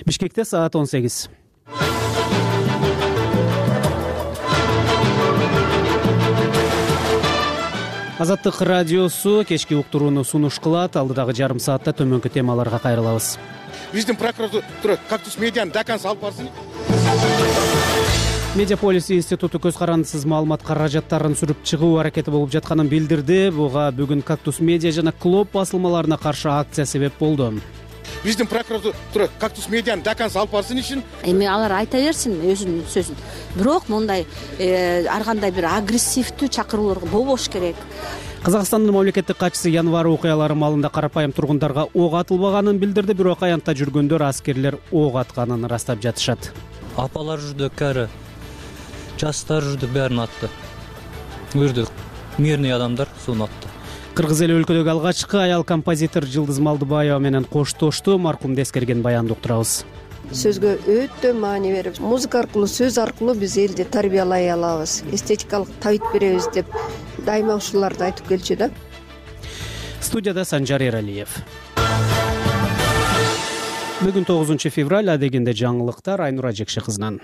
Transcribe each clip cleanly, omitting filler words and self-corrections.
Бишкекте саат 18. Азаттык радиосу кечки уктурууну сунуш кылат. Алдыдагы жарым саатта төмөнкү темаларга кайрылабыз. Биздин прокуратура Кактус медианы до конца алып барсын. Медиаполис институту көз карандысыз маалымат каражаттарын сүрүп чыгуу аракети болуп жатканын билдирди. Буга бүгүн Кактус медиа жана Клоп басылмаларына каршы акция себеп болду. Биздин прокуратура Кактус медианы до конца алып барсын ишин. Эми алар айта берсин өзүнүн сөзүн. Бирок мындай ар кандай бир агрессивдүү чакыруулар болбош керек. Казакстандын мамлекеттик катчысы январь окуялары маалында карапайым тургундарга ок атылбаганын билдирди, бирок аянтта жүргөндөр аскерлер ок атканын ырастап жатышат. Апалар жүрдү, кәрі, жастар жүрдү, бәрін атты. Үрдү, мирный адамдар суун атты. Кыргыз эли өлкөдөгү алгачкы аял композитор Жылдыз Малдыбаева менен коштошту. Маркумду эскерген баянды уктурабыз. Сөзгө өтө маани берип, музыка аркылуу, сөз аркылуу биз элди тарбиялай алабыз, эстетикалык табит беребиз деп дайыма ушуларды айтып келчү да. Студияда Санжар Эралиев. Бүгүн 9 февраль, адегенде жаңылыктар Айнура Жекше кызынан.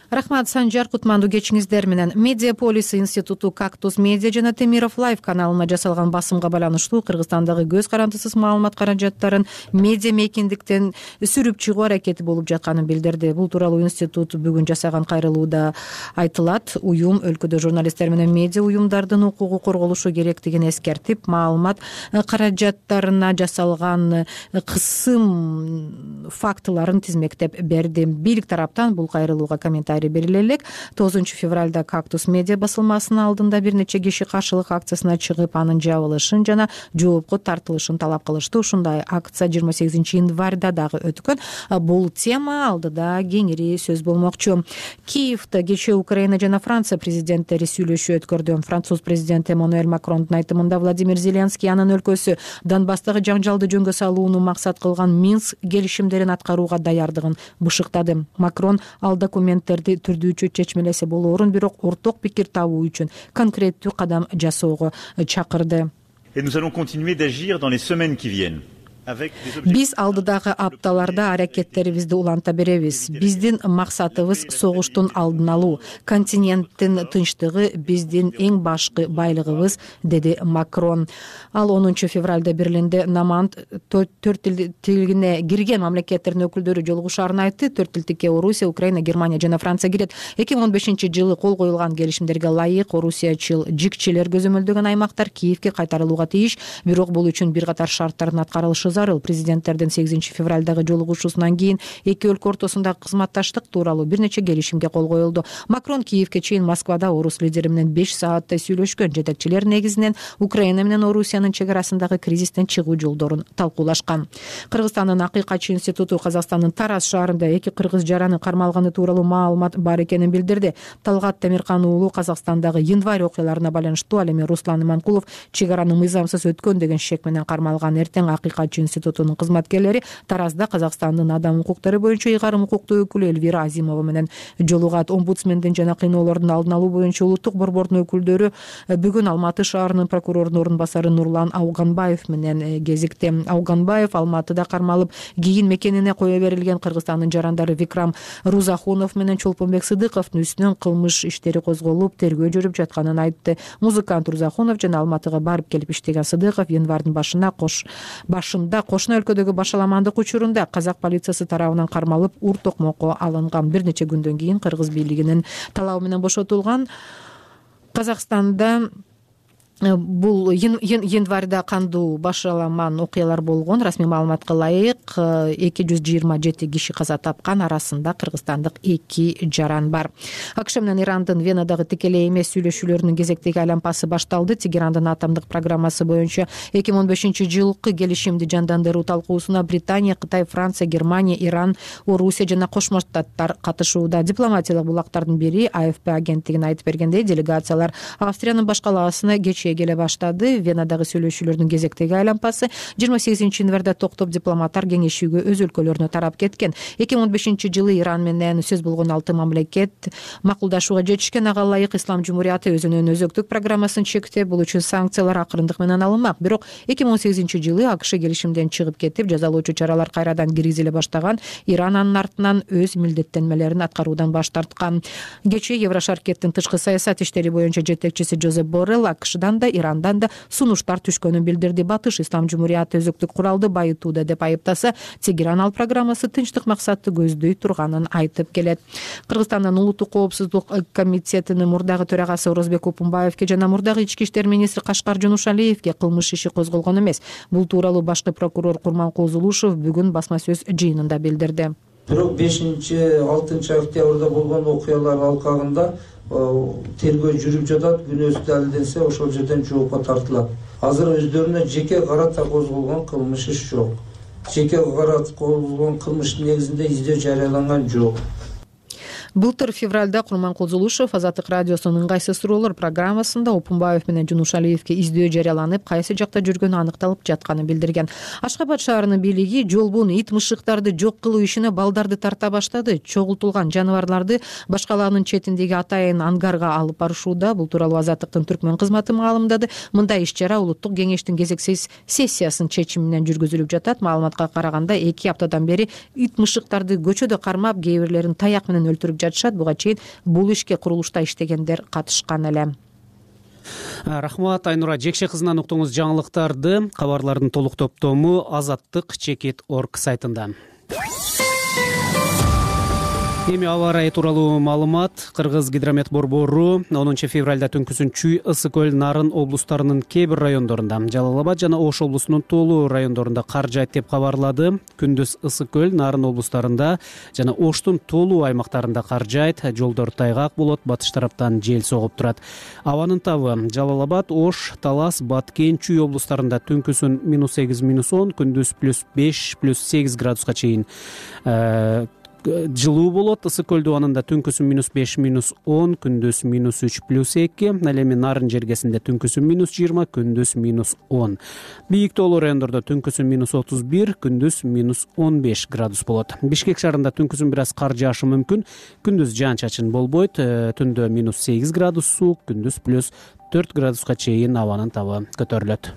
Рахмат, Санжар, кутмандуу кечиңиздер менен. Медиаполис институту Кактус медиа жана Темиров лайв каналына жасалган басымга байланыштуу Кыргызстандагы көз карандысыз маалымат каражаттарын медиа мейкиндиктен сүрүп чыгуу аракети болуп жатканын билдирди. Бул тууралуу институт бүгүн жасаган кайрылууда айтылат. Уюм өлкөдө журналисттер менен медиа уюмдардын укугу корголушу керектигин эскертип, маалымат каражаттарына жасалган кысым фактыларын тизмектеп берди. Бийлик тараптан бул кайрылууга комментарий бериле элек. 9 февралда Кактус медиа басылмасынын алдында бир нече киши каршылык акциясына чыгып, анын жабылышын жана жоопко тартылышын талап кылышты. Ушундай акция 28 январда дагы өткөн. Бул тема алдыда кеңири сөз болмокчу. Киевде кечээ Украина жана Франция президенттери сүйлөшүү өткөрдү. Француз президенти Эммануэль Макрондун айтымында Владимир Зеленский анын өлкөсү Донбасстагы жаңжалды жөнгө салууну максат кылган Минск келишимдерин аткарууга даярдыгын бышыктады. Макрон ал документтерди түрдүүчө чечмелесе болоорун, бирок орток пикир табуу үчүн конкреттүү кадам жасоого чакырды. Et nous allons continuer d'agir dans les semaines qui viennent. Биз алдыдагы апталарда аракеттерибизди уланта беребиз. Биздин максатыбыз согуштун алдын алуу. Континенттин тынчтыгы биздин эң башкы байлыгыбыз, деди Макрон. Ал 10 февралда Берлинде Наманд 4 тилине кирген мамлекеттердин өкүлдөрү жолугушаарын айтты. 4 тилдикке Орусия, Украина, Германия жана Франция кирет. 2015-жылы кол коюлган келишимдерге ылайык Орусиячыл жикчилер көзөмөлдөгөн аймактар Киевке кайтарылууга тийиш, бирок бул үчүн бир катар шарттардын аткарылышы зарыл. Президенттердин 8 февралдагы жолугушуусунан кийин эки өлкө ортосундагы кызматташтык тууралуу бир нече келишимге кол коюлду. Макрон Киевке чейин Москвада орус лидери менен 5 сааттай сүйлөшкөн. Жетекчилер негизинен Украина менен Орусиянын чек арасындагы кризистен чыгуу жолдорун талкуулашкан. Кыргызстандын Акыйкатчы институту Казакстандын Тараз шаарында эки кыргыз жараны кармалганы тууралуу маалымат бар экенин билдирди. Талгат Темиркан уулу Казакстандагы январь окуяларына байланыштуу, ал эми Руслан Иманкулов чек араны мыйзамсыз өткөн деген шек менен кармалган. Эртең Акыйкатчы институтунун кызматкерлери Таразда Казакстандын адам укуктары боюнча ыйгарым укуктуу өкүлү Эльвира Азимова менен жолугат. Омбудсмендин жана кыйноолордун алдын алуу боюнча улуттук борбордун өкүлдөрү бүгүн Алматы шаарынын прокурорунун орун басары Нурлан Ауганбаев менен кезикти. Ауганбаев Алматыда кармалып, кийин мекенине кое берилген Кыргызстандын жарандары Викрам Рузахунов менен Чолпонбек Сыдыковдун үстүнөн кылмыш иштери козголуп, тергөө жүрүп жатканын айтты. Музыкант Рузахунов жана Алматыга барып келип иштеген Сыдыков январдын башында кошуна өлкөдөгү башаламандык учурунда казак полициясы тарабынан кармалып, ур токмокко алынган. Бир нече күндөн кийин кыргыз бийлигинин талабы менен бошотулган. Казакстанда бул январда кандуу башаламан окуялар болгон. Расмий маалыматка ылайык 227 киши каза тапкан, арасында кыргызстандык 2 жаран бар. АКШ менен Ирандын Венадагы тикелей эмес сүйлөшүүлөрүнүн кезектеги айланпасы башталды. Тегерандын атомдук программасы боюнча 2015-жылкы келишимди жандандыруу талкуусуна Британия, Кытай, Франция, Германия, Иран, Орусия жана Кошмо Штаттар катышууда. Дипломатиялык булактардын бири АФП агенттигине айтып бергендей, делегациялар Австриянын баш калаасына кечээ иши келе баштады. Венадагы сүйлөшүүлөрдүн кезектеги айланпасы 28 январда токтоп дипломаттар кеңешүүгө өз өлкөлөрүнө тарап кеткен. 2015-жылы Иран менен сөз болгон 6 мамлекет макулдашууга жетишкен. Ага ылайык Ислам Жумурияты өзүнүн өзөктүк программасын чектеп, бул үчүн санкциялар акырындык менен алынмак. Бирок 2018-жылы АКШ келишимден чыгып кетип, жазалоочу чаралар кайрадан киргизиле баштаган. Иран анын артынан өз милдеттенмелерин аткаруудан баш тарткан. Кечээ Еврошаркеттин тышкы саясат иштери боюнча жетекчиси Жозеп Боррелл АКШдан да Ирандан да сунуштар түшкөнүн билдирди. Батыш Ислам Жумурияты өзөктүк куралды байытууда деп айыптаса, Тегеран ал программасы тынчтык максатты көздөй турганын айтып келет. Кыргызстандын Улуттук коопсуздук комитетинин мурдагы төрагасы Орозбек Опунбаевке жана мурдагы ички иштер министри Кашкар Жунушалиевке кылмыш иши козголгон эмес. Бул тууралуу башкы прокурор Курманкул Зулушев бүгүн басма сөз жыйынында билдирди. Бирок 5-6 октябрда болгон окуялар алкагында тергөө жүрүп жатат. Күнөөсү далилденсе, ошол жерден жоопко тартылат. Азыр өздөрүнө жеке карата козголгон кылмыш иш жок. Жеке карата козголгон кылмыштын негизинде издөө жарыяланган жок. Былтыр февралда Курманкул Зулушев Азаттык радиосунун ыңгайсыз суроолор программасында Опунбаев менен Жунушалиевке издөө жарыяланып, кайсы жакта жүргөнү аныкталып жатканын билдирген. Ашкабад шаарынын бийлиги жолбун, ит, мышыктарды жок кылуу ишине балдарды тарта баштады. Чогултулган жаныбарларды башкалаанын четиндеги атайын ангарга алып барышууда. Бул тууралуу Азаттыктын түркмөн кызматы маалымдады. Мындай иш-чара Улуттук кеңештин кезексиз сессиясынын чечиминен жүргүзүлүп жатат. Маалыматка караганда 2 аптадан бери ит, мышыктарды көчөдө кармап, кээ бирлерин таяк менен өлтүрүп жатышат. Буга чейин бул ишке курулушта иштегендер катышкан эле. Рахмат Айнура Жекше кызынан уктуңуз жаңылыктарды. Кабарлардын толук топтому azattik.org сайтында. Эми аба ырайы тууралуу маалымат. Кыргыз гидромет борбору 10 февралда түнкүсүн Чүй, Ысык көл, Нарын облустарынын кээ бир райондорунда, Жалал Абад жана Ош облусунун тоолуу райондорунда кар жаайт деп кабарлады. Күндүз Ысык көл, Нарын облустарында жана Оштун тоолуу аймактарында кар жаайт, жолдор тайгак болот, батыш тараптан жел согуп турат. Абанын табы Жалал Абад, Ош, Талас, Баткен, Чүй облустарында түнкүсүн -8, -10, күндүз +5, +8 градуска чейин жылуу болот. Ысык көлдү убанында түнкүсүн -5, -10, күндүз -3, +2. Ал эми Нарын жергесинде түнкүсүн -20, күндүз -10. Бийик тоолуу райондордо түнкүсүн -31, күндүз -15 градус болот. Бишкек шаарында түнкүсүн бир аз кар жаашы мүмкүн. Күндүз жаан-чачын болбойт. Түндө -8 градус суук, күндүз +4 градуска чейин абанын табы көтөрүлөт.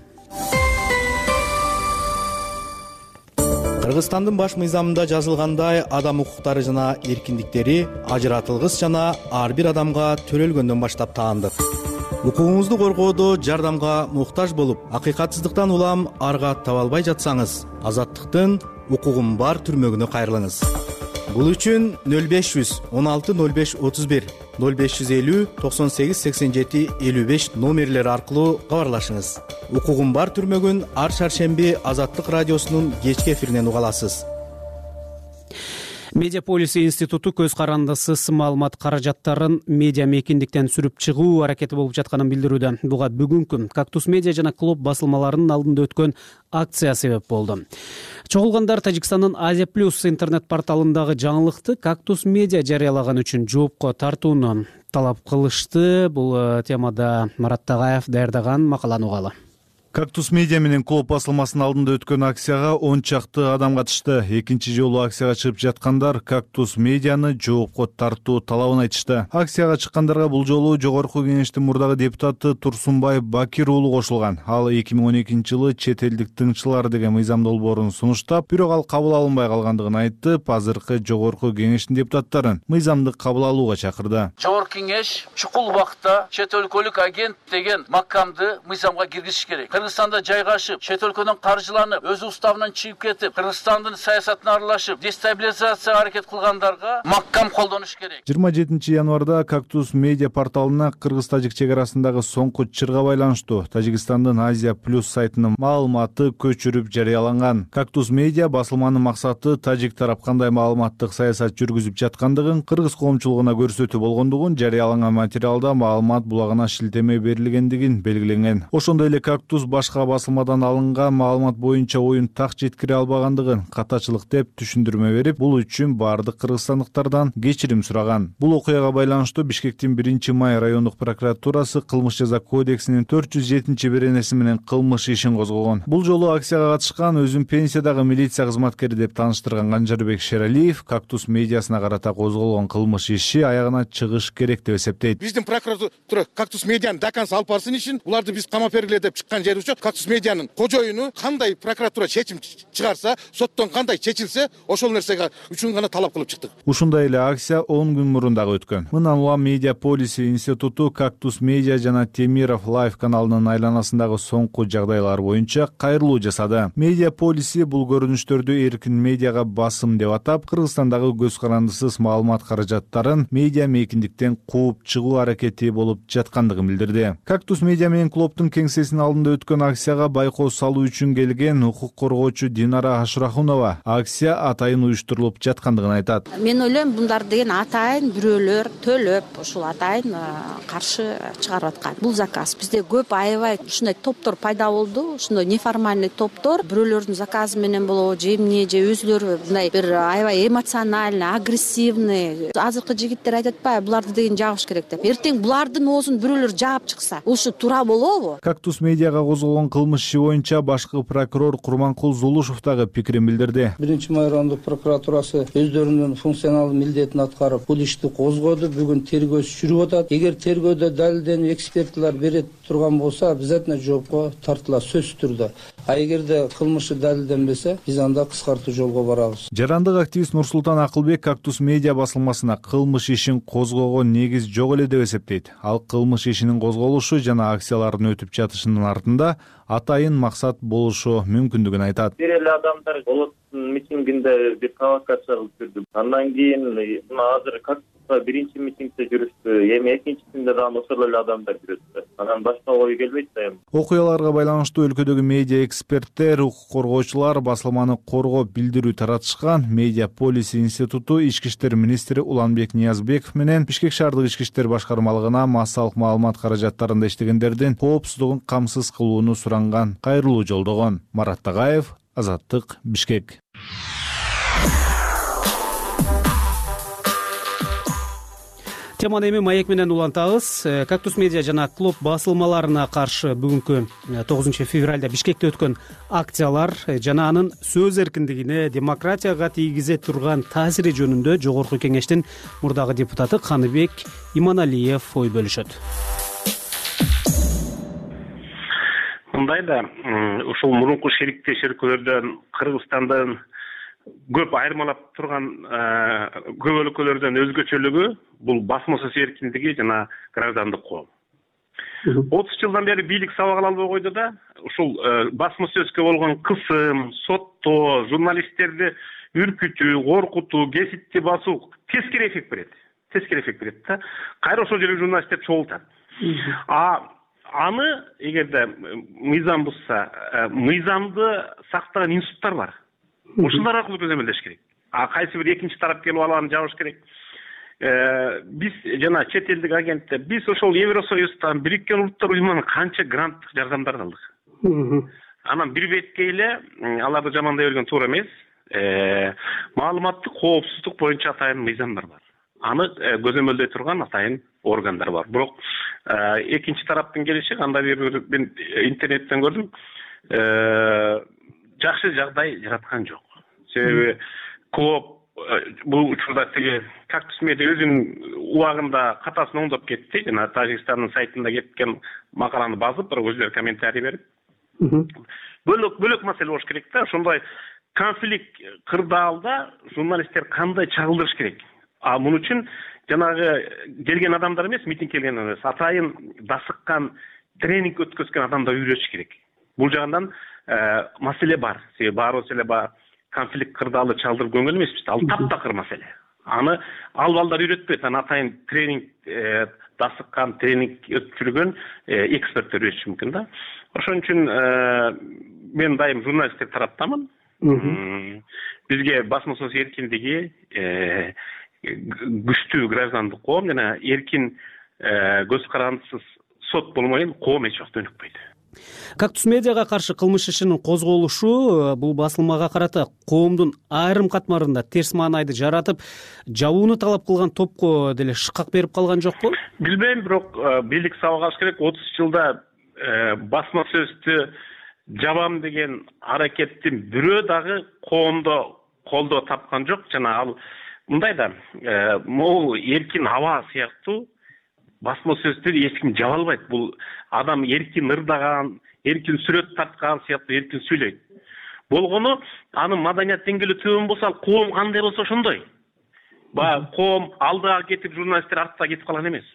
Кыргызстандын баш мыйзамында жазылгандай, адам укуктары жана эркиндиктери ажыратылгыс жана ар бир адамга төрөлгөндөн баштап таандык. Укугуңузду коргоодо жардамга муктаж болуп, акыйкатсыздыктан улам арга таба албай жатсаңыз, Азаттыктын укугум бар түрмөгүнө кайрылыңыз. Бул үчүн 0500 16 05 31 0550 98 87 55 номерлери аркылуу кабарлашыңыз. Укугум бар түрмөгүн ар шаршемби Азаттык радиосунун кечки эфиринен уга аласыз. Медиаполис институту көз карандысыз маалымат каражаттарын медиа мейкиндиктен сүрүп чыгуу аракети болуп жатканын билдирүүдө. Буга бүгүнкү Кактус медиа жана Клоп басылмаларынын алдында өткөн акция себеп болду. Чогулгандар Тажикстандын Азия Плюс интернет порталындагы жаңылыкты Кактус медиа жарыялаган үчүн жоопко тартууну талап кылышты. Бул темада Марат Тагаев даярдаган макаланы угалы. Кактус медиа менен Клоп басылмасынын алдында өткөн акцияга 10 чакты адам катышты. Экинчи жолу акцияга чыгып жаткандар Кактус медианы жоопко тартуу талабын айтышты. Акцияга чыккандарга бул жолу Жогорку кеңештин мурдагы депутаты Турсунбай Бакир уулу кошулган. Ал 2012-жылы чет элдик тыңчылар деген мыйзам долбоорун сунуштап, бирок ал кабыл алынбай калгандыгын айтып, азыркы Жогорку кеңештин депутаттарын мыйзамды кабыл алууга чакырды. Жогорку кеңеш чукул убакта чет өлкөлүк агент деген макамды мыйзамга киргизиш керек. Кыргызстанда жайгашып, чет өлкөдөн каржыланып, өз уставынан чыгып кетип, Кыргызстандын саясатына аралашып, дестабилизацияга аракет кылгандарга маккам колдонуш керек. 27 январда Кактус медиа порталына кыргыз-тажик чек арасындагы соңку чырга байланыштуу Тажикстандын Азия Плюс сайтынын маалыматы көчүрүп жарыяланган. Кактус медиа басылманын максаты тажик тарап кандай маалыматтык саясат жүргүзүп жаткандыгын кыргыз коомчулугуна көрсөтүү болгондугун, жарыяланган материалда маалымат булагына шилтеме берилгендигин белгиленген. Ошондой эле Кактус башка басылмадан алынган маалымат боюнча оюн так жеткире албагандыгын катачылык деп түшүндүрмө берип, бул үчүн баардык кыргызстандыктардан кечирим сураган. Бул окуяга байланыштуу Бишкектин 1-май райондук прокуратурасы кылмыш жаза кодексинин 407-беренеси менен кылмыш ишин козгогон. Бул жолу акцияга катышкан өзүн пенсиядагы милиция кызматкери деп тааныштырган Канжарбек Шералиев Кактус медиасына карата козголгон кылмыш иши аягына чыгыш керек деп эсептейт. Биздин прокуратура Кактус медианы даканс алып барсын ишин, уларды биз камап бергиле деп чыккан жери үчүн Кактус медианын кожоюну кандай прокуратура чечим чыгарса, соттон кандай чечилсе, ошол нерсеге үчүн гана талап кылып чыктык. Ушундай эле акция 10 күн мурун дагы өткөн. Мындан улам Медиа Полиси институту Кактус медиа жана Темиров Лайф каналынын айланасындагы соңку жагдайлар боюнча кайрылуу жасады. Медиа Полиси бул көрүнүштөрдү эркин медиага басым деп атап, Кыргызстандагы көз карандысыз маалымат каражаттарын медиа мейкиндиктен кууп чыгуу аракети болуп жаткандыгын билдирди. Кактус медиа менен клубтун кеңсесинин алдында өткөн акцияга байкоо салуу үчүн келген укук коргоочу Динара Ашрахунова акция атайын уюштурулуп жаткандыгын айтат. Мен ойлойм, мундар деген атайын бирөөлөр төлөп, ушул атайын каршы чыгарып аткан. Бул заказ бизде көп аябай ушундай топтор пайда болду. Ушундай неформальный топтор бирөөлөрдүн заказы менен болобу, же эмне, же өзүлөрү мындай бир аябай эмоциональный, агрессивный. Азыркы жигиттер айтат атпайбы, буларды деген жабыш керек деп. Эртең булардын оозун бирөөлөр жаап чыкса, ушу туура болобу? Кактус медиага козголгон кылмыш иши боюнча башкы прокурор Курманкул Зулушев дагы пикирин билдирди. 1-май райондук прокуратурасы өздөрүнүн функционалдык милдетин аткарып, бул ишти козгоду. Бүгүн тергөө жүрүп атат. Эгер тергөөдө далилденип экспертилер бере турган болсо, обязательно жоопко тартылат сөзсүз түрдө. А эгерде кылмышы далилденбесе, биз анда кыскартуу жолго барабыз. Жарандык активист Нурсултан Акылбек Кактус медиа басылмасына кылмыш ишин козгогон негиз жок эле деп эсептейт. Ал кылмыш ишинин козголушу жана акциялардын өтүп жатышынын артында атайын максат болушу мүмкүндүгүн айтат. Бир эле адамдар болот митингинде бир провокация кылып жүрдү. Андан кийин мына азыр Кактуска биринчи митингде жүрүштү, эми экинчисинде дагы ошол эле адамдар жүрөт. Анан башка ой келбейт да эми. Окуяларга байланыштуу өлкөдөгү медиа эксперттер, укук коргоочулар басылманы коргоп билдирүү таратышкан. Медиа Полиси институту ички иштер министри Уланбек Ниязбеков менен Бишкек шаардык ички иштер башкармалыгына массалык маалымат каражаттарында иштегендердин коопсуздугун камсыз кылууну суранган кайрылуу жолдогон. Марат Тагаев, Азаттык, Бишкек. Теманы эми маек менен улантабыз. Кактус медиа жана клуб басылмаларына каршы бүгүнкү 9 февралда Бишкекте өткөн акциялар жана анын сөз эркиндигине, демократияга тийгизе турган таасири жөнүндө Жогорку Кеңештин мурдагы депутаты Каныбек Иманалиев ой бөлүшөт. Мындай да, ушул мурунку шериктеш өлкөлөрдөн Кыргызстандын көп айырмалап турган көп өлкөлөрдөн өзгөчөлүгү бул басма сөз эркиндиги жана граждандык коом. 30 жылдан бери бийлик сабак ала албай койду да, ушул басма сөзгө болгон кысым, соттоо, журналисттерди үркүтүү, коркутуу, кесипти басуу тескери эффект берет. Тескери эффект берет да. Кайра ошол жерге журналисттер чогултат. Аны эгерде мыйзам бузса, мыйзамды сактаган институттар бар. Ушулар аркылуу көзөмөлдөш керек. Кайсы бир экинчи тарап келип алып жабыш керек. Биз жана чет элдик агенттер, биз ошол Евросоюздан, Бириккен Улуттар уюмунан канча гранттык жардамдар алдык. Анан бир бетке эле аларды жамандай берген туура эмес. Маалыматтык коопсуздук боюнча атайын мыйзамдар бар. Аны көзөмөлдөй турган атайын органдар бар. Бирок экинчи тараптын келиши кандай бир мен интернеттен көрдүм. Жакшы жагдай жараткан жок. Себеби клуб бул учурда тиги Кактус медиа өзүнүн убагында катасын оңдоп кетти. Жана Тажикстандын сайтында кеткен макаланы базып, бирок өзүлөрү комментарий берип. Бөлөк маселе болуш керек да. Ошондой конфликт кырдаалда журналисттер кандай чагылдырыш керек? Мун үчүн жанагы келген адамдар эмес, митинг келген эмес, атайын дасыккан, тренинг өткөзгөн адамдар үйрөтүш керек. Бул жагынан маселе бар. Себеби баарыбыз эле конфликт кырдаалды чалдырып көңүл эмеспиз. Ал таптакыр маселе. Аны ал балдар үйрөтпөйт. Аны атайын тренинг дасыккан, тренинг өткөргөн эксперттер үйрөтүшү мүмкүн да. Ошон үчүн мен дайым журналисттер тараптамын. Бизге басма сөз эркиндиги, күчтүү граждандык коом жана эркин көз карандысыз сот болмой коом эч убакта өнүкпөйт. Кактус медиага каршы кылмыш ишинин козголушу бул басылмага карата коомдун айрым катмарында терс маанайды жаратып, жабууну талап кылган топко деле шыкак берип калган жокпу? Билбейм, бирок бийлик сабагаш керек. 30 жылда басма сөздү жабам деген аракеттин бирөө дагы коомдо колдоо тапкан жок. Жана ал мындай да, могу эркин аба сыяктуу басма сөздү эч ким жаба албайт. Бул адам эркин ырдаган, эркин сүрөт тарткан сыяктуу эркин сүйлөйт. Болгону анын маданият деңгээли төмөн болсо, ал коом кандай болсо ошондой. Баягы коом алдыга кетип, журналисттер артта кетип калган эмес.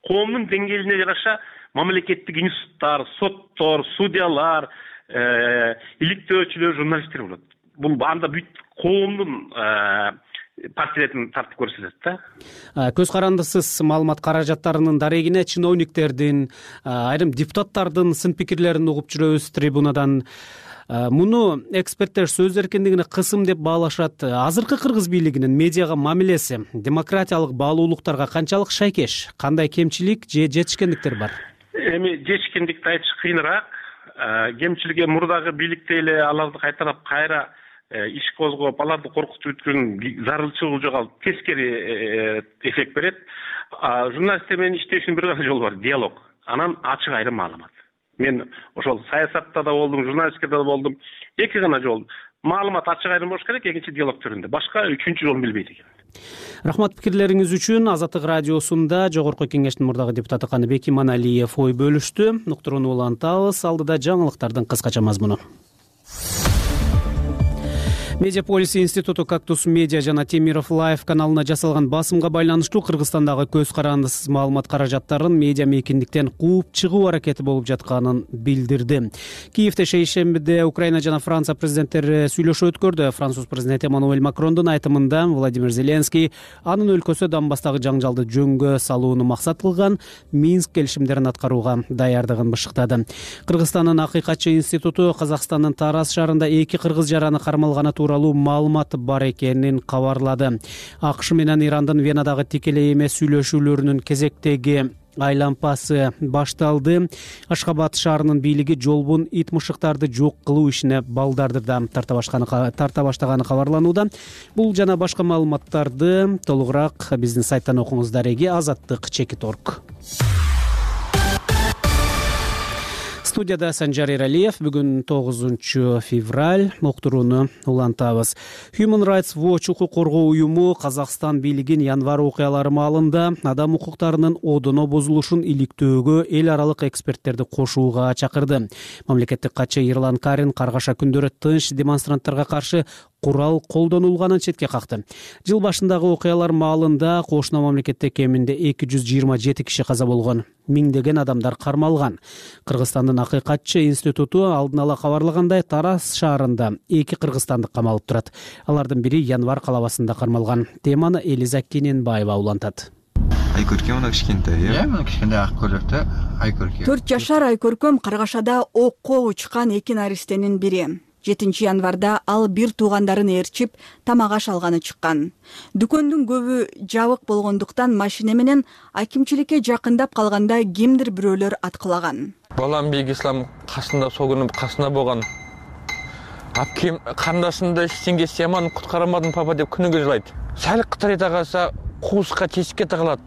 Коомдун деңгээлине жараша мамлекеттик институттар, соттор, судьялар, иликтөөчүлөр, журналисттер болот. Бул анда бүт коомдун портретин тартып көрсөтөт да. Көз карандысыз маалымат каражаттарынын дарегине чиновниктердин, айрым депутаттардын сын пикирлерин угуп жүрөбүз трибунадан. Муну эксперттер сөз эркиндигине кысым деп баалашат. Азыркы кыргыз бийлигинин медиага мамилеси демократиялык баалуулуктарга канчалык шайкеш? Кандай кемчилик же жетишкендиктер бар? Эми жетишкендикти айтыш кыйыныраак. Кемчилиги мурдагы бийликте эле аларды кайтарып кайра иш козгоп, аларды коркутуп өткөн зарылчылык жок, ал тескери эффект берет. Журналисттер менен иштешинин бир гана жолу бар — диалог. Анан ачык айрым маалымат. Мен ошол саясатта да болдум, журналистикада да болдум. Эки гана жол. Маалымат ачык айрым болуш керек, экинчи диалог түрүндө. Башка үчүнчү жолун билбейт экен. Рахмат пикирлериңиз үчүн. Азаттык радиосунда Жогорку Кеңештин мурдагы депутаты Каныбек Иманалиев ой бөлүштү. Уктурууну улантабыз. Алдыда жаңылыктардын кыскача мазмуну. Медиаполис институту Кактус медиа жана Темиров Лайф каналына жасалган басымга байланыштуу Кыргызстандагы көз карандысыз маалымат каражаттарын медиа мейкиндиктен кууп чыгуу аракети болуп жатканын билдирди. Киевде шейшембиде Украина жана Франция президенттери сүйлөшүү өткөрдү. Француз президенти Эммануэль Макрондун айтымында Владимир Зеленский анын өлкөсү Донбасстагы жаңжалды жөнгө салууну максат кылган Минск келишимдерин аткарууга даярдыгын бышыктады. Кыргызстандын Акыйкатчы институту Казакстандын Тараз шаарында 2 кыргыз жараны кармалганы тууралуу маалымат бар экенин кабарлады. АКШ менен Ирандын Венадагы тикелей эмес сүйлөшүүлөрүнүн кезектеги айлампасы башталды. Ашхабад шаарынын бийлиги жолбун ит мышыктарды жок кылуу ишине балдарды да тарта баштаганы кабарланууда. Бул жана башка маалыматтарды толугураак биздин сайттан окуңуз. Дареги azattik.org. Студияда Санжар Эралиев. Бүгүн 9 февраль. Уктурууну улантабыз. Human Rights Watch укук коргоо уюму Казакстан бийлигин январь окуялары маалында адам укуктарынын одоно бузулушун иликтөөгө эл аралык эксперттерди кошууга чакырды. Мамлекеттик катчы Ерлан Карин Каргаша күндөрү тынч демонстранттарга каршы курал колдонулганын четке какты. Жыл башындагы окуялар маалында кошуна мамлекетте кеминде 227 киши каза болгон, миңдеген адамдар кармалган. Кыргызстандын Акыйкатчы институту алдын ала кабарлагандай Тараз шаарында 2 кыргызстандык камалып турат. Алардын бири январь калабасында кармалган. Теманы Элиза Кененбаева улантат. Айкөркөм мына кичкентай, мына кичкентай ак көйлөктө Айкөркөм. 4 жашар Айкөркөм Каргашада окко учкан 2 наристенин бири. 7 январда ал бир туугандарын ээрчип тамак аш алганы чыккан. Дүкөндүн көбү жабык болгондуктан машина менен акимчиликке жакындап калганда кимдир бирөөлөр аткылаган. Балам Бейгислам кашында согунуп кашында болгон. Апкем кандашында сенге сяман куткарамадың папа деп күнүгө жылайт. Сәл кытырайта калса кууска тесикке тагылат.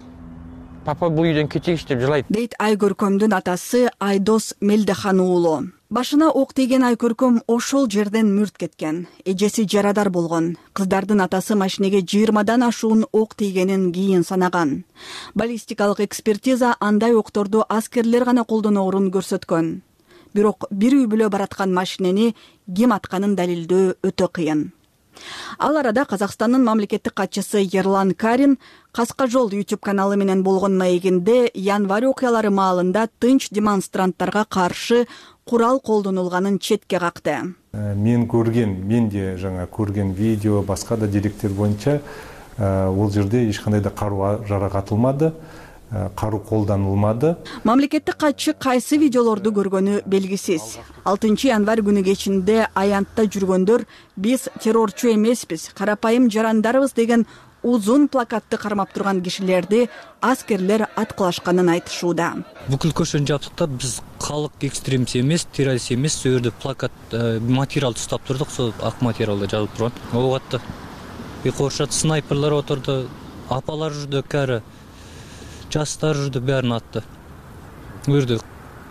Папа бул үйдөн кетейинчи деп жылайт. Дейт Айкөркөмдүн атасы Айдос Мелдехан уулу. Башына ок тийген Айкөркөм ошол жерден мүрт кеткен. Эжеси жарадар болгон. Кыздардын атасы машинеге 20дан ашуун ок тийгенин кийин санаган. Баллистикалык экспертиза андай окторду аскерлер гана колдоноорун көрсөткөн. Бирок бир үй бүлө бараткан машинени ким атканын далилдөө өтө кыйын. Ал арада Казакстандын мамлекеттик катчысы Ерлан Карин Каска жол YouTube каналы менен болгон маегинде январь окуялары маалында тынч демонстранттарга каршы курал колдонулганын четке какты. Менде жаңа көрген видео, башка да деректер боюнча ол жерде эч кандай да каруу жаракатылмады. Каруу колдонулмады. Мамлекеттик катчы кайсы видеолорду көргөнү белгисиз. 6 январь күнү кечинде аянтта жүргөндөр биз террорчу эмеспиз, карапайым жарандарыбыз деген узун плакатты кармап турган кишилерди аскерлер аткылашканын айтышууда. Бүкүл көчөнү жаптыктап, биз калк экстремист эмес, террорист эмес, сол жерде плакат материалды уштап турдук, сол ак материалда жазылып турган. Ого атты. Коршат снайперлер отурду, апалар жүрдү, кәрі, жастар жүрдү, бәрін атты. Өрдү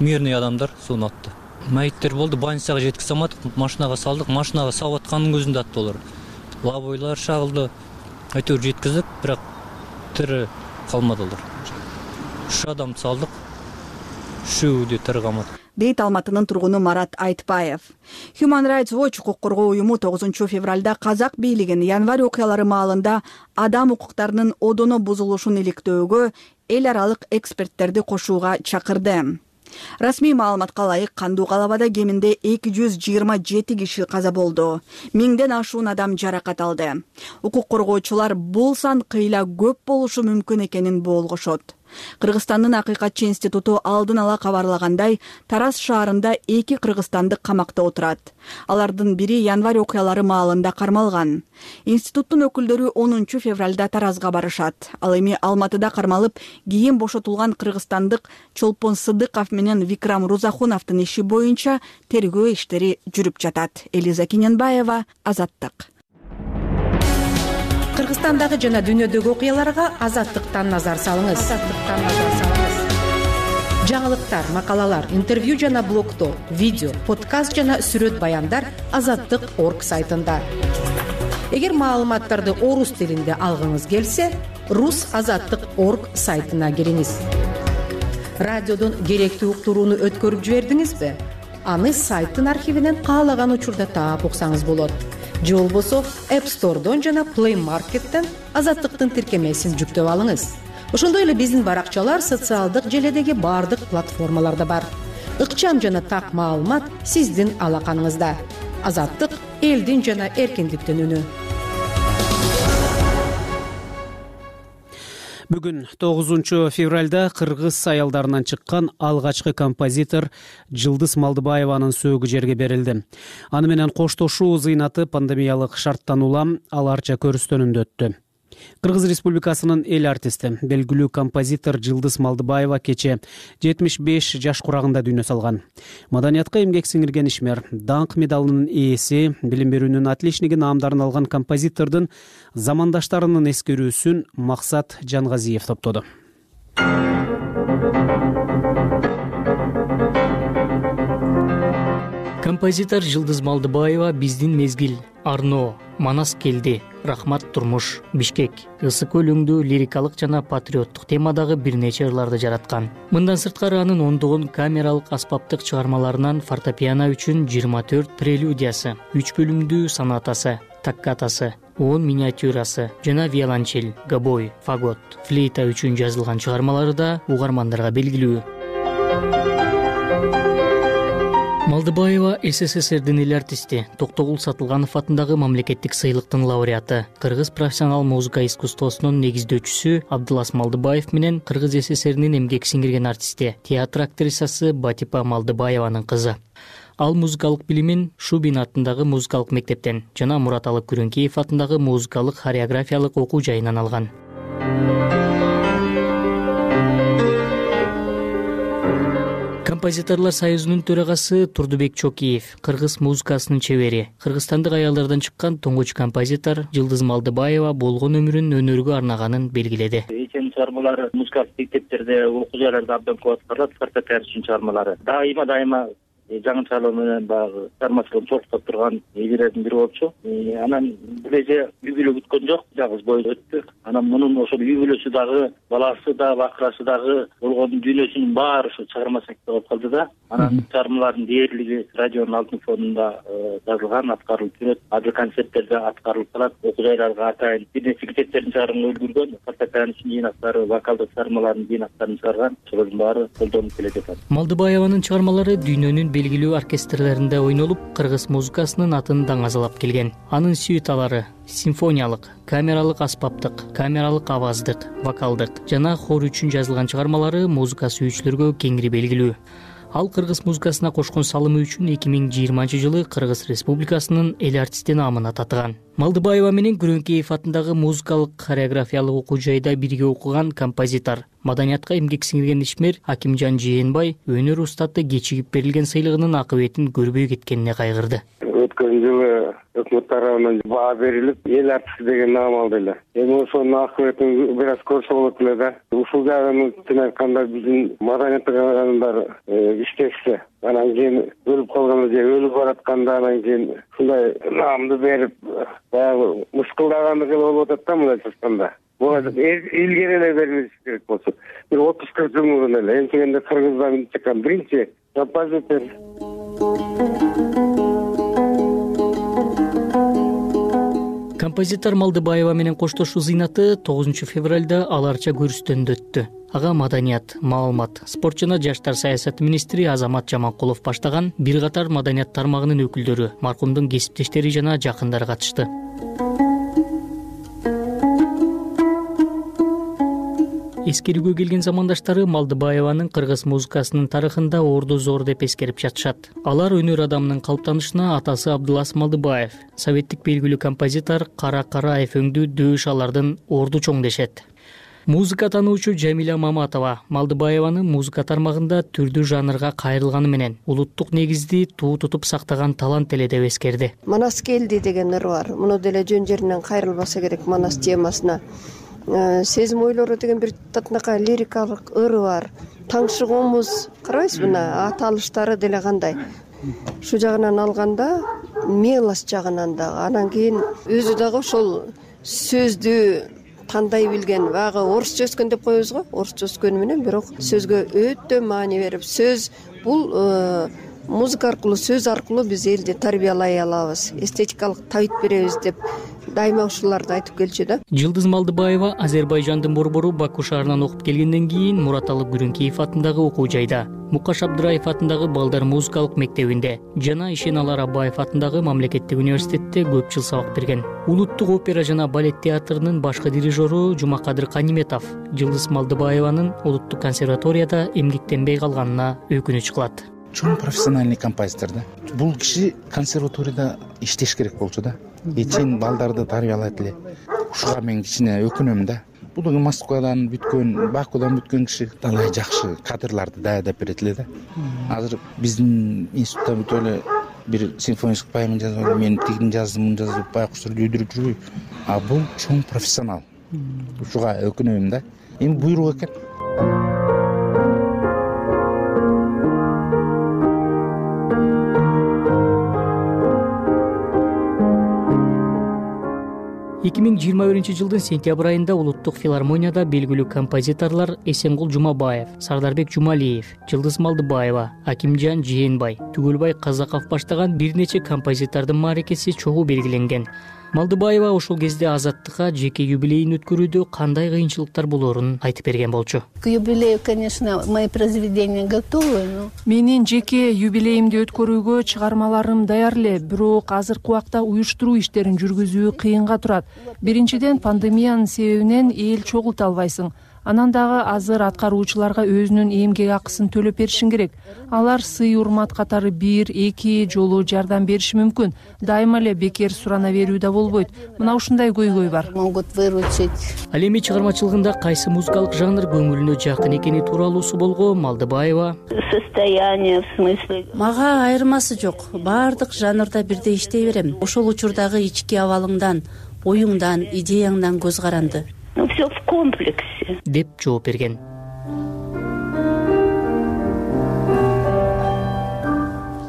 мирный адамдар соны атты. Майыттер болду, больницага жеткизе алмадык, машинага салдык, машинага салып атканын көзүндө атты олар. Лабойлар шагылды. Әйтеуір жеткіздік, бірақ тірі қалмадылар. 3 адамды салдық, 3-өө де тірі қалмады. Дейт Алматынын тургуну Марат Айтбаев. Human Rights Watch укук коргоо уюму 9 февралда казак бийлигин январь окуялары маалында адам укуктарынын одоно бузулушун иликтөөгө эл аралык эксперттерди кошууга чакырды. Расмий маалыматка ылайык кандуу калабада кеминде 227 киши каза болду. 1000ден ашуун адам жаракат алды. Укук коргоочулар бул сан кыйла көп болушу мүмкүн экенин болгошот. Кыргызстандын Акыйкатчы институту алдын ала кабарлагандай, Тараз шаарында 2 кыргызстандык камакта отурат. Алардын бири январь окуялары маалында кармалган. Институттун өкүлдөрү 10 февралда Таразга барышат. Ал эми Алматыда кармалып, кийин бошотулган кыргызстандык Чолпон Сыдыков менен Викрам Рузахуновдун иши боюнча тергөө иштери жүрүп жатат. Элиза Кененбаева, Азаттык. Кыргызстандагы жана дүйнөдөгү окуяларга Азаттыктан назар салыңыз. Жаңылыктар, макалалар, интервью жана блогдор, видео, подкаст жана сүрөт баяндар Азаттык.орг сайтында. Эгер маалыматтарды орус тилинде алгыңыз келсе, Rus.Azаттык.org сайтына кириңиз. Радиодон керектүү уктурууну өткөрүп жибердиңизби? Аны сайттын архивинен каалаган учурда таап уксаңыз болот. Же болбосо App Store'дон жана Play Market'тен Азаттыктын тиркемесин жүктөп алыңыз. Ошондой эле биздин баракчалар социалдык желедеги бардык платформаларда бар. Ыкчам жана так маалымат сиздин алаканыңызда. Азаттык — элдин жана эркиндиктин үнү. Бүгүн 9 февралда кыргыз аялдарынан чыккан алгачкы композитор Жылдыз Малдыбаеванын сөөгү жерге берилди. Аны менен коштошуу зыйнаты пандемиялык шарттан улам аларча көрүстөнүндө өттү. Кыргыз Республикасынын эл артисти, белгилүү композитор Жылдыз Малдыбаева кече 75 жаш курагында дүйнө салган. Маданиятка эмгек сиңирген ишмер, даңк медалынын ээси, билим берүүнүн отличниги наамдарын алган композитордун замандаштарынын эскерүүсүн Максат Жангазиев топтоду. Композитор Жылдыз Малдыбаева биздин мезгил, Арно, Манас келди, Рахмат турмуш, Бишкек, Ысык өлүңдүү лирикалык жана патриоттук темадагы бир нече ырларды жараткан. Мындан сырткары анын ондогон камералык аспаптык чыгармаларынан фортепиано үчүн 24 прелюдиясы, 3 бөлүмдүү сонатасы, таккатасы, 10 миниатюрасы жана виолончель, гобой, фагот, флейта үчүн жазылган чыгармалары да угармандарга белгилүү. Малдыбаева СССРдин эл артисти, Токтогул Сатылганов атындагы мамлекеттик сыйлыктын лауреаты, Кыргыз профессионал музыка искусствосунун негиздөөчүсү Абдылас Малдыбаев менен Кыргыз СССРинин эмгек сиңирген артисти, театр актрисасы Батипа Малдыбаеванын кызы. Ал музыкалык билимин Шубин атындагы музыкалык мектептен жана Мураталы Күрөнкеев атындагы музыкалык хореографиялык окуу жайынан алган. Композиторлор союзунун төрагасы Турдубек Чокиев, кыргыз музыкасынын чебери, кыргызстандык аялдардан чыккан тоңгоч композитор Жылдыз Малдыбаева болгон өмүрүн өнөргө арнаганын белгиледи. Эчен чыгармалары музыкалык мектептерде, окуу жайларда абдан көп аткарылат, фортепиано үчүн чыгармалары. Дайыма жаңы чыгарма менен баягы чыгармачылыгын чогултуп турган элдердин бири болчу. Анан бул эже үй бүлө күткөн жок, жалгыз бойдо өттү. Анан мунун ошол үй бүлөсү дагы, баласы да, бакырасы дагы болгон дүйнөсүнүн баары ошо чыгарма сактап алып калды да. Анан чыгармалардын дээрлиги радионун алтын фонунда жазылган, аткарылып жүрөт. Адыл концерттерде аткарылып калат. Окуу жайларга атайын бир нече китептерин чыгарууга үлгүргөн, фортепиано үчүн жыйнактары, вокалдык чыгармалардын жыйнактарын чыгарган. Ошолордун баары колдонуп келе жатат. Малдыбаеванын чыгармалары дүйнөнүн белгилүү оркестрлеринде ойнолуп, кыргыз музыкасынын атын даңазалап келген. Анын сюиталары симфониялык, камералык аспаптык, камералык аваздык, вокалдык жана хор үчүн жазылган чыгармалары музыка сүйүүчүлөргө кеңири белгилүү. Ал кыргыз музыкасына кошкон салымы үчүн 2020-жылы Кыргыз Республикасынын эл артисти наамына татыган. Малдыбаева менен Күрөңкеев атындагы музыкалык хореографиялык окуу жайда бирге окуган композитор, маданиятка эмгек сиңирген ишмер Акимжан Жээнбай өнөр устаты кечигип берилген сыйлыгынын акыбетин көрбөй кеткенине кайгырды. Өткөн жылы өкмөт тарабынан баа берилип, эл артисти деген наам алды эле. Эми ошонун акыбетин бир аз көрсө болот эле да. Ушул жагын айтканда биздин маданиятка адамдар иштешсе, анан кийин өлүп калганда же өлүп баратканда анан кийин ушундай наамды берип, баягы мыскылдагандык эле болуп атат да мындайча айтканда. Буга илгери эле берилиш керек болчу. Бир 30-40 жыл мурун эле энтегенде Кыргыздан чыккан биринчи композитор. Композитор Малдыбаева менен коштошуу зыйнаты 9 февралда аларча көрүстөндө өттү. Ага маданият, маалымат, спорт жана жаштар саясаты министри Азамат Жаманкулов баштаган бир катар маданият тармагынын өкүлдөрү, маркумдун кесиптештери жана жакындары катышты. Эскерүүгө келген замандаштары Малдыбаеванын кыргыз музыкасынын тарыхында орду зор деп эскерип жатышат. Алар өнөр адамынын калыптанышына атасы Абдылас Малдыбаев, советтик белгилүү композитор Кара Караев өңдүү дөөш алардын орду чоң дешет. Музыка таануучу Жамиля Маматова Малдыбаеванын музыка тармагында түрдүү жанрга кайрылганы менен улуттук негизди туу тутуп сактаган талант эле деп эскерди. Манас келди деген ыр бар. Муну деле жөн жеринен кайрылбаса керек Манас темасына. Сезим ойлору деген бир татынакай лирикалык ыры бар. Таңшыгуумуз карабайсызбы, ата алыштары деле кандай. Шу жагынан алганда, мелос жагынан дагы, анан кийин өзү дагы ошол сөздү тандай билген, баягы орусча өскөн деп коебуз го, орусча өскөнү менен бирок сөзгө өтө маани берип, сөз бул музыка аркылуу, сөз аркылуу биз элди тарбиялай алабыз, эстетикалык табит беребиз деп дайыма ушуларды айтып келчү да. Жылдыз Малдыбаева Азербайжандын борбору Баку шаарынан окуп келгенден кийин Мураталы Күрөңкеев атындагы окуу жайда, Мукаш Абдыраев атындагы балдар музыкалык мектебинде жана Ишеналар Абаев атындагы мамлекеттик университетте көп жыл сабак берген. Улуттук опера жана балет театрынын башкы дирижеру Жумакадыр Каниметов Жылдыз Малдыбаеванын улуттук консерваторияда эмгектенбей калганына өкүнүч кылат. Чоң профессиональный композитор да. Бул киши консерваторияда иштеш керек болчу да. Эчен балдарды тарбиялайт эле. Ушуга мен кичине өкүнөм да. Бул Москвадан бүткөн, Бакудан бүткөн киши талай жакшы кадрларды даярдап берет эле да. Азыр биздин институтта бүтө эле бир симфонический поэма жазып, мен тигин жаздым, мун жазып, байкуштар үйдүрүп жүрбөй. А бул чоң профессионал. Ушуга өкүнөм да. Эми буйрук экен. 2021-жылдын сентябрь айында улуттук филармонияда белгилүү композиторлор Эсенгул Жумабаев, Сардарбек Жумалиев, Жылдыз Малдыбаева, Акимжан Жээнбай, Түгөлбай Казаков баштаган бир нече композитордун мааракеси чогуу белгиленген. Малдыбаева ошол кезде Азаттыкка жеке юбилейин өткөрүүдө кандай кыйынчылыктар болоорун айтып берген болчу. К юбилею, конечно, мои произведения готовы, но менин жеке юбилейимди өткөрүүгө чыгармаларым даяр эле, бирок азыркы убакта уюштуруу иштерин жүргүзүү кыйынга турат. Биринчиден, пандемиянын себебинен эл чогулта албайсың. Анан дагы азыр аткаруучуларга өзүнүн эмгек акысын төлөп беришиң керек. Алар сый урмат катары 1-2 жолу жардам бериши мүмкүн. Дайыма эле бекер сурана берүү да болбойт. Мына ушундай көйгөй бар. Могут выручить. Ал эми чыгармачылыгында кайсы музыкалык жанр көңүлүнө жакын экени тууралуу суолго Малдыбаева: Состояние, в смысле. Мага айырмасы жок. Баардык жанрда бирдей иштей берем. Ошол учурдагы ички абалыңдан, оюңдан, идеяңдан көз каранды. Ну, все в комплексе. Деп жооп берген.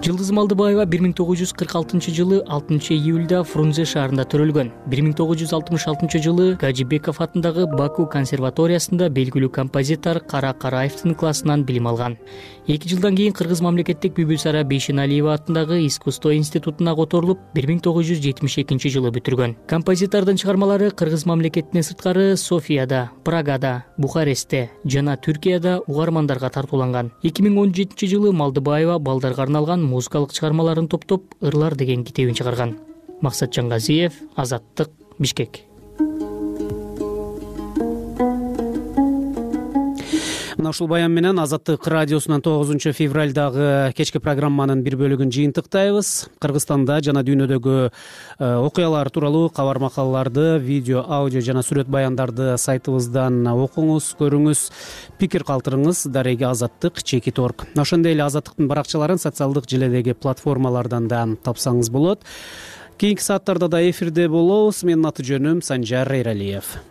Жылдыз Малдыбаева 1946-жылы 6-июлда Фрунзе шаарында төрөлгөн. 1966-жылы Гаджибеков атындагы Баку консерваториясында белгилүү композитор Кара Караевдин классынан билим алган. 2 жылдан кийин Кыргыз мамлекеттик Бүбүсара Бейшеналиева атындагы искусство институтуна которулуп, 1972-жылы бүтүргөн. Композитордун чыгармалары Кыргыз мамлекетинен сырткары Софияда, Прагада, Бухарестте жана Түркияда угармандарга тартууланган. 2017-жылы Малдыбаева балдарга арналган музыкалык чыгармаларын топтоп «Ырлар» деген китебин чыгарган. Максатжан Газиев, Азаттык, Бишкек. Мына ушул баян менен Азаттык радиосунан 9 февралдагы кечки программанын бир бөлүгүн жыйынтыктайбыз. Кыргызстанда жана дүйнөдөгү окуялар тууралуу кабар макалаларды, видео, аудио жана сүрөт баяндарды сайтыбыздан окуңуз, көрүңүз, пикир калтырыңыз. Дареги Азаттык @org. Ошондой эле Азаттыктын баракчаларын социалдык желедеги платформалардан да тапсаңыз болот. Кийинки сааттарда да эфирде болобуз. Менин аты жөнүм Санжар Эралиев.